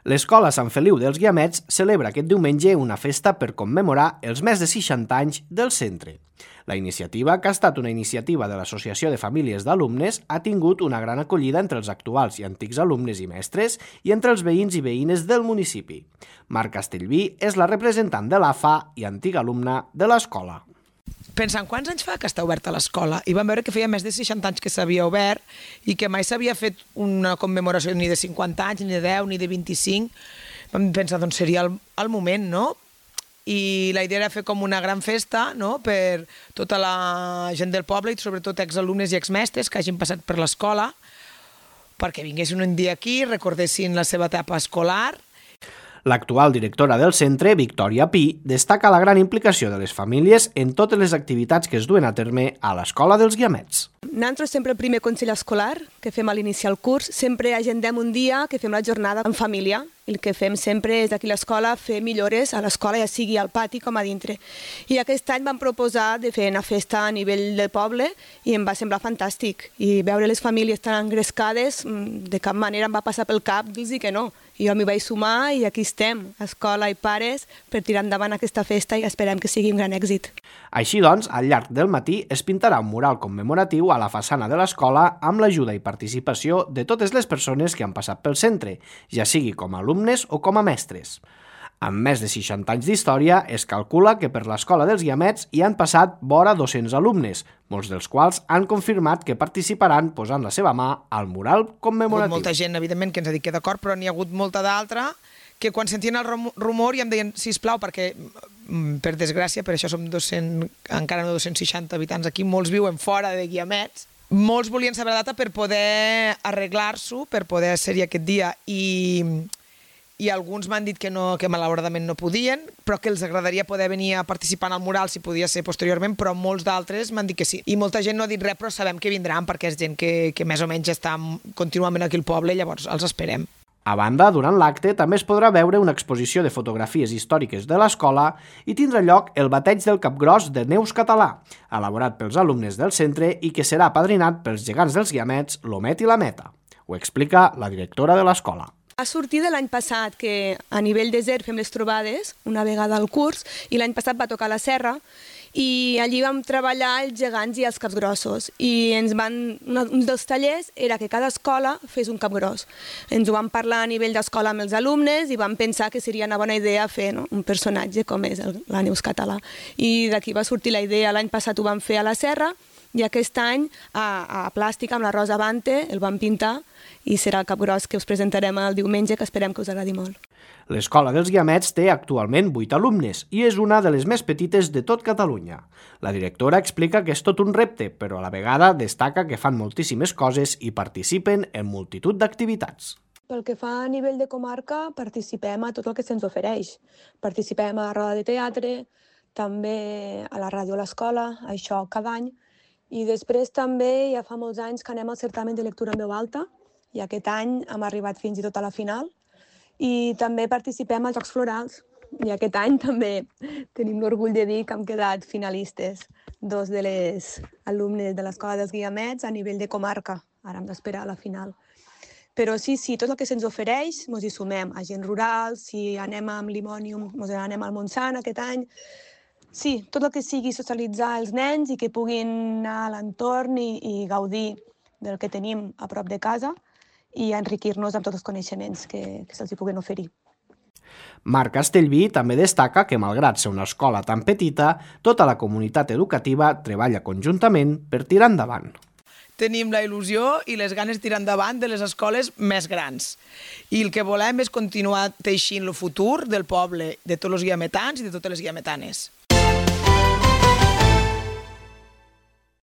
L'Escola Sant Feliu dels Guiamets celebra aquest diumenge una festa per commemorar els més de 60 anys del centre. La iniciativa, que ha estat una iniciativa de l'Associació de Famílies d'Alumnes, ha tingut una gran acollida entre els actuals i antics alumnes i mestres i entre els veïns i veïnes del municipi. Marc Castellví és la representant de l'AFA i antiga alumna de l'escola. Pensant quants anys fa que està oberta l'escola i vam veure que feia més de 60 anys que s'havia obert i que mai s'havia fet una commemoració ni de 50 anys, ni de 10, ni de 25. Vam pensar, doncs seria el moment, no? I la idea era fer com una gran festa, no?, per tota la gent del poble i sobretot exalumnes i exmestres que hagin passat per l'escola, perquè vinguessin un dia aquí, recordessin la seva etapa escolar. L'actual directora del centre, Victòria Pi, destaca la gran implicació de les famílies en totes les activitats que es duen a terme a l'Escola dels Guiamets. Nosaltres sempre el primer consell escolar que fem a l'iniciar el curs, sempre agendem un dia que fem la jornada en família. I el que fem sempre és aquí a l'escola fer millores a l'escola, ja sigui al pati com a dintre. I aquest any vam proposar de fer una festa a nivell del poble i em va semblar fantàstic. I veure les famílies tan engrescades, de cap manera em va passar pel cap dir-los que no. I jo m'hi vaig sumar i aquí estem, escola i pares, per tirar endavant aquesta festa i esperem que sigui un gran èxit. Així doncs, al llarg del matí es pintarà un mural commemoratiu a la façana de l'escola amb l'ajuda i participació de totes les persones que han passat pel centre, ja sigui com a alumnes o com a mestres. Amb més de 60 anys d'història, es calcula que per l'Escola dels Guiamets hi han passat vora 200 alumnes, molts dels quals han confirmat que participaran posant la seva mà al mural commemoratiu. Hi ha hagut molta gent, evidentment, que ens ha dit que d'acord, però n'hi ha hagut molta d'altra que quan sentien el rumor ja em deien, sisplau, perquè, per desgràcia, per això som 200, encara no 260 habitants aquí, molts viuen fora de Guiamets, molts volien saber la data per poder arreglar-s'ho, per poder ser-hi aquest dia, i alguns m'han dit que malauradament no podien, però que els agradaria poder venir a participar en el mural si podia ser posteriorment, però molts d'altres m'han dit que sí. I molta gent no ha dit res, però sabem que vindran perquè és gent que més o menys està contínuament aquí al poble, llavors els esperem. A banda, durant l'acte també es podrà veure una exposició de fotografies històriques de l'escola i tindrà lloc el bateig del capgròs de Neus Català, elaborat pels alumnes del centre i que serà apadrinat pels gegants dels Guiamets, l'Omet i la Meta. Ho explica la directora de l'escola. Va sortir de l'any passat que a nivell de ZER fem les trobades una vegada al curs i l'any passat va tocar la serra i allí vam treballar els gegants i els capgrossos i un dels tallers era que cada escola fes un capgros. Ens ho vam parlar a nivell d'escola amb els alumnes i vam pensar que seria una bona idea fer un personatge com és la Neus Català. I d'aquí va sortir la idea, l'any passat ho vam fer a la serra i aquest any a plàstic amb la Rosa Bante el vam pintar i serà el capgros que us presentarem el diumenge, que esperem que us agradi molt. L'Escola dels Guiamets té actualment 8 alumnes i és una de les més petites de tot Catalunya. La directora explica que és tot un repte, però a la vegada destaca que fan moltíssimes coses i participen en multitud d'activitats. Pel que fa a nivell de comarca, participem a tot el que se'ns ofereix. Participem a la roda de teatre, també a la ràdio a l'escola, això cada any. I després també ja fa molts anys que anem al certamen de lectura en veu alta i aquest any hem arribat fins i tot a la final. I també participem als Jocs Florals i aquest any també tenim l'orgull de dir que hem quedat finalistes, 2 de les alumnes de l'Escola dels Guiamets a nivell de comarca. Ara hem d'esperar a la final. Però sí, tot el que se'ns ofereix ens hi sumem. Agents rurals, si anem amb Limònium, ens anem al Montsant aquest any. Sí, tot el que sigui socialitzar els nens i que puguin anar a l'entorn i gaudir del que tenim a prop de casa i enriquir-nos amb tots els coneixements que se'ls puguen oferir. Marc Castellví també destaca que, malgrat ser una escola tan petita, tota la comunitat educativa treballa conjuntament per tirar endavant. Tenim la il·lusió i les ganes de tirar endavant de les escoles més grans. I el que volem és continuar teixint el futur del poble, de tots els guiametans i de totes les guiametanes.